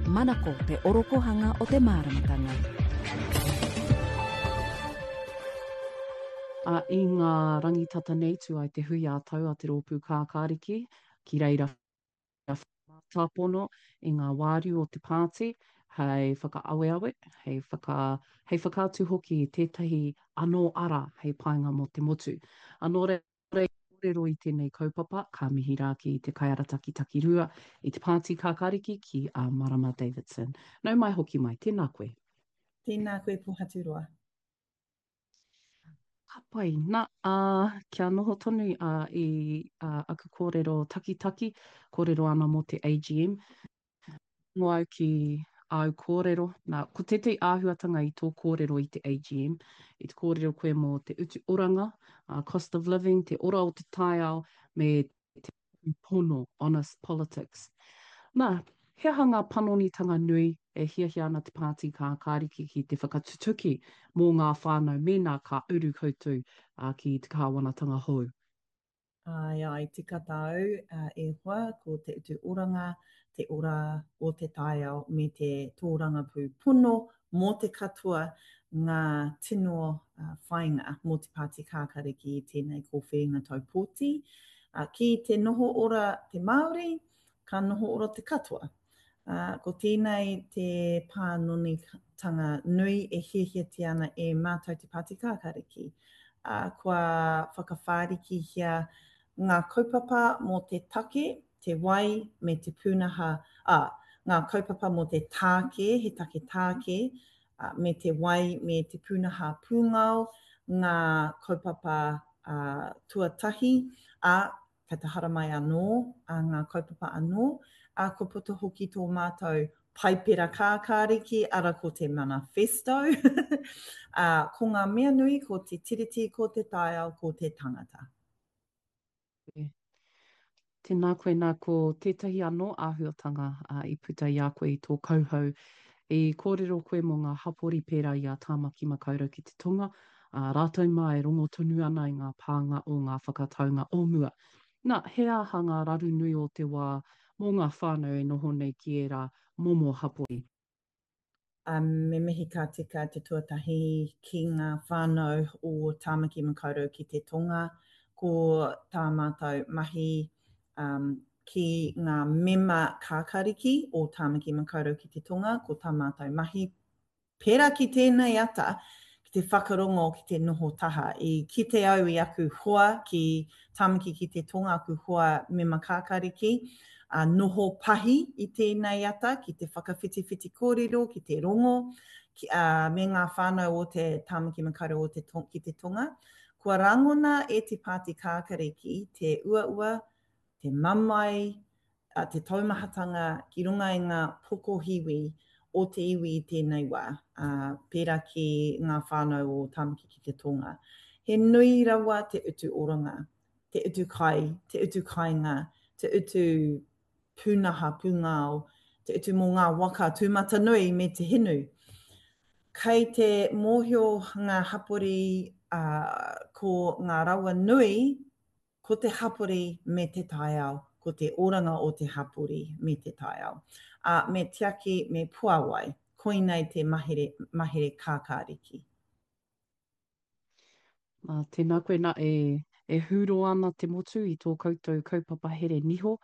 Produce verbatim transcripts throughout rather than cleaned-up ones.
Manako te orokohanga o te māramatanga. Ā, i ngā rangi tata nei tū ai te hui ā-tau a Te Rōpū Kākāriki, ki reira whakamātāpono i ngā wāriu o te pāti hei whakaaweawe, hei whaka, hei whakaatu hoki i tētahi anō ara hei painga mō te motu. Ā, nō reira, kōrero i tēnei kaupapa, ka mihi rā ki te kaiarataki takirua i te Pāti Kākāriki ki a Marama Davidson. Nau mai hoki mai, tēnā koe. Tēnā koe Pohaturoa. Ka pai. Na, ā, kia noho tonu ā, i ā, aku kōrero takitaki, kōrero ana mō te A G M. Rongo au ki āu kōrero. Nā, ko tētahi āhuatanga i tō kōrero i te A G M, i te kōrero koe mō te utu oranga, uh, cost of living, te ora o te taiao, me te pono, honest politics. Nā, he aha ngā panonitanga nui e hiahia ana te Pāti Kākāriki ki te whakatutuki mō ngā whānau mēnā ka uru koutou uh, ki te kāwanatanga hou? Āe, āe, tika tāu, e hoa, ko te utu oranga, te ora o te taiao me te tōrangapū pono mō te katoa ngā tino whāinga mō te Pāti Kākāriki i tēnei kōwhiringa tau pōti. Ki te noho ora te Māori, ka noho ora te katoa. Ā, ko tēnei te pānonitanga nui e hiahiatia ana e mātou te Pāti Kākāriki. Ā, kua whakawhārikihia ngā kaupapa mō te take, te wai me te pūnaha, ā, ngā kaupapa mō te tāke, he take tāke, ā, me te wai me te pūnaha pūngao, ngā kaupapa, ā, tuatahi, ā, Kei te haramai anō a ngā kaupapa anō, ā, kua puta hoki tō mātou Paipera Kākāriki, ara ko te Manifesto. Ā, ko ngā mea nui ko te Tiriti, ko te taiao, ko te tangata. Tēnā koe, nā, ko tētahi anō āhuatanga i puta i a koe i tō kauhau I kōrero koe mō ngā hapori pērā i a Tāmaki Makaurau ki te Tonga, ā, rātou mā e rongo tonu ana i ngā pānga o ngā whakataunga o mua. Nā, he aha ngā raru nui o te wā mō ngā whānau e noho nei ki ērā momo hapori? Ā, me mihi ka tika te tuatahi ki ngā whānau o Tāmaki Makaurau ki te Tonga, ko tā mātou mahi, ā, ki ngā mema kākāriki o Tāmaki Makaurau ki te Tonga, ko tā mātou mahi, pērā ki tēnei ata, ki te whakarongo, ki te noho taha. I kite au i aku hoa ki Tāmaki ki te Tonga, aku hoa mema kākāriki, ā, noho pahi i tēnei ata ki te whakawhitiwhiti kōrero, ki te rongo, ki, ā, me ngā whānau o te Tāmaki Makaurau o te, ki te Tonga. Kua rangona e te Pāti Kākariki te uaua, te mamae, te taumahatanga ki runga i ngā pokohiwi o te iwi i tēnei wā, pērā ki ngā whānau o Tāmaki ki te Tonga. He nui rawa te utu oranga, te utu kai, te utu kāinga, te utu pūnaha pūngao, te utu mō ngā waka tūmatanui me te hinu. Kei te mōhio ngā hapori ko ngā rawa nui Ko te hapori me te taiao, ko te oranga o te hapori me te taiao. Ā, me tiaki, me puāwai. Koinei te mahere, mahere kākāriki. Ā, tēnā koe, nā, e, e hūro ana te motu i tō koutou kaupapa here niho,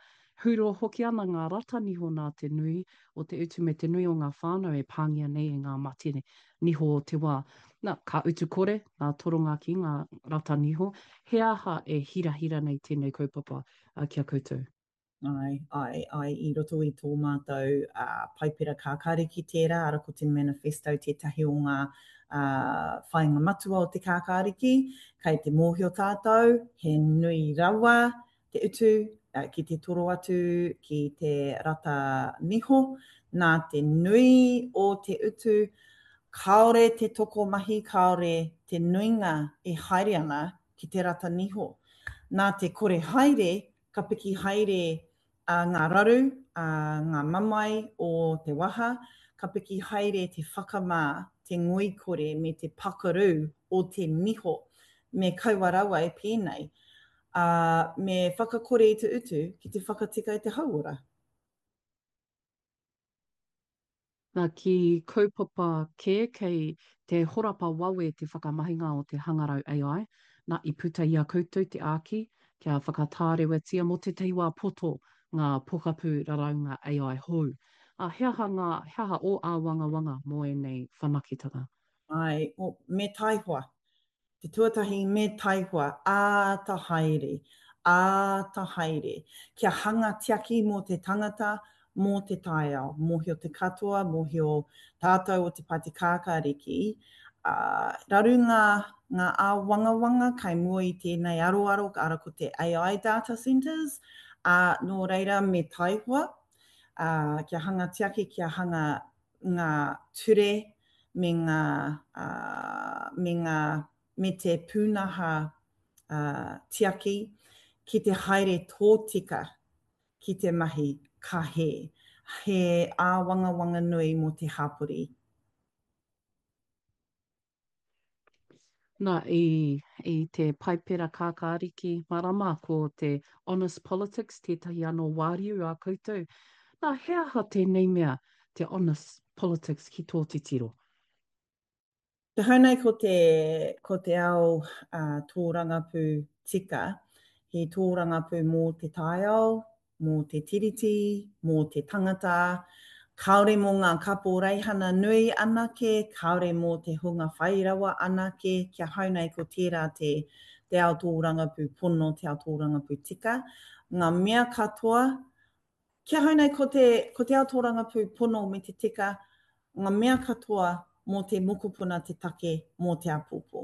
hūro hoki ana ngā rata niho nā te nui o te utu me te nui o ngā whānau e pāngia nei e ngā mate niho o te wā. Na, ka utu kore ngā toronga ki ngā rata niho. He aha e hirahira nei tēnei kaupapa ki a koutou? Āe, āe, āe, i roto i tō mātou Paipera Kākāriki tērā, ara ko te manifesto tētahi o ngā whāinga matua o te Kākāriki. Kei te mōhio tātou, he nui rawa te utu ki te toro atu ki te rata niho, nā te nui o te utu, kāore te tokomahi, kāore te nuinga e haere ana ki te rata niho. Nā te kore haere, ka piki haere ngā raru, ngā mamae o te waha, ka piki haere te whakamā, te ngoikore me te pakaru o te niho. Me kaua rawa e pēnei. Ā, me whakakore i te utu ki te whakatika i te hauora. Nā, ki kaupapa kē kei te horapa wawe te whakamahinga o te hangarau A I, nā, i puta i a koutou te āki kia whakatārewatia mō tētahi wā poto ngā pokapū raraunga A I hou. Ā, he aha ngā, he aha ō āwangawanga mō ēnei whanaketanga? Āe, me taihoa. Te tuatahi me taihoa, āta haere, āta haere. Kia hanga tiaki mō te tangata, mō te taiao. Mōhio te katoa, mōhio tātou o Te Pāti Kākāriki, ā, raru ngā, ngā āwangawanga kai mua i tēnei aroaro, ara ko te A I data centres, ā, nō reira me taihoa, ā, kia hanga tiaki, kia hanga ngā ture me ngā, ā, me ngā, me te pūnaha ā, tiaki ki te haere tōtika ki te mahi ka hē. He āwangawanga nui mō te hapori. Nā, i, i te Paipera Kākāriki marama ko te Honest Politics tētahi anō wāriu a koutou. Nā, he aha tēnei mea te Honest Politics ki tō titiro? Te hau nei ko te, ko te ao uh, tōrangapū tika, he tōrangapū mō te taiao, mō te tiriti, mō te tangata, kāore mō ngā kaporeihana nui anake, kāore mō te hunga whai rawa anake, kia hau nei ko tērā te, te ao tōrangapū pono, te ao tōrangapū tika. Ngā mea katoa, Ki ahau nei ko te, ko te ao tōrangapū pono me te tika, ngā mea katoa mō te mokopuna te take mō te āpōpō.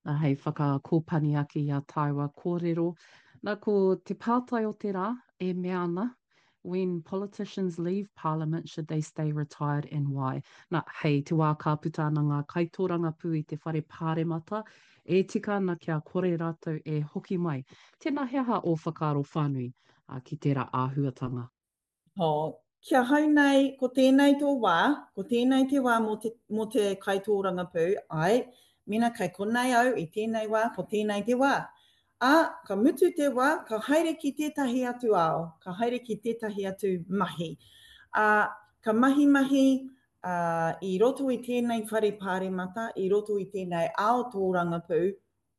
Nā, hei whakakōpani ake i a tāua kōrero. Nā, ko te pātai o te rā e mea ana, When politicians leave parliament, should they stay retired and why? Nā, hei te wā ka puta ana ngā kaitōrangapū i te whare pāremata, e tika ana kia kore rātou e hoki mai. Tēnā, he aha ō whakaaro whānui ki tērā āhuatanga? Oh, ki ahau nei, ko tēnei tō wā, ko tēnei te wā mō te, mō te kaitōrangapū, āe, mēnā kei konei au i tēnei wā, ko tēnei te wā. Ā, ka mutu te wā, ka haere ki tētahi atu ao, ka haere ki tētahi atu mahi. Ā, ka mahimahi, ā, i roto i tēnei whare pāremata, i roto i tēnei ao tōrangapū,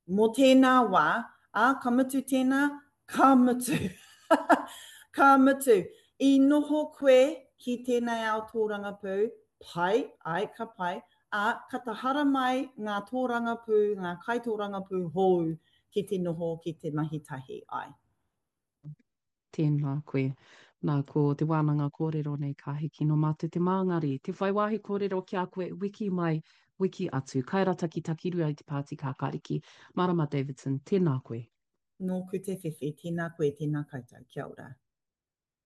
mō tēnā wā, ā, ka mutu tēnā, ka mutu. Ka mutu. I noho koe ki tēnei ao tōrangapū, pai, āe, ka pai, ā, ka tahara mai ngā tōrangapū, ngā kaitōrangapū hōu ki te noho, ki te mahi tahi, āe. Tēnā koe. Nā, ko te wānanga kōrero nei ka hiki nō mātou te māngari, te whai wāhi kōrero ki a koe wiki mai, wiki atu. Kairataki Takirua i te Pāti Kākāriki, Marama Davidson, tēnā koe. Nōku te whiwhi, tēnā koe, tēnā koutou. Kia ora.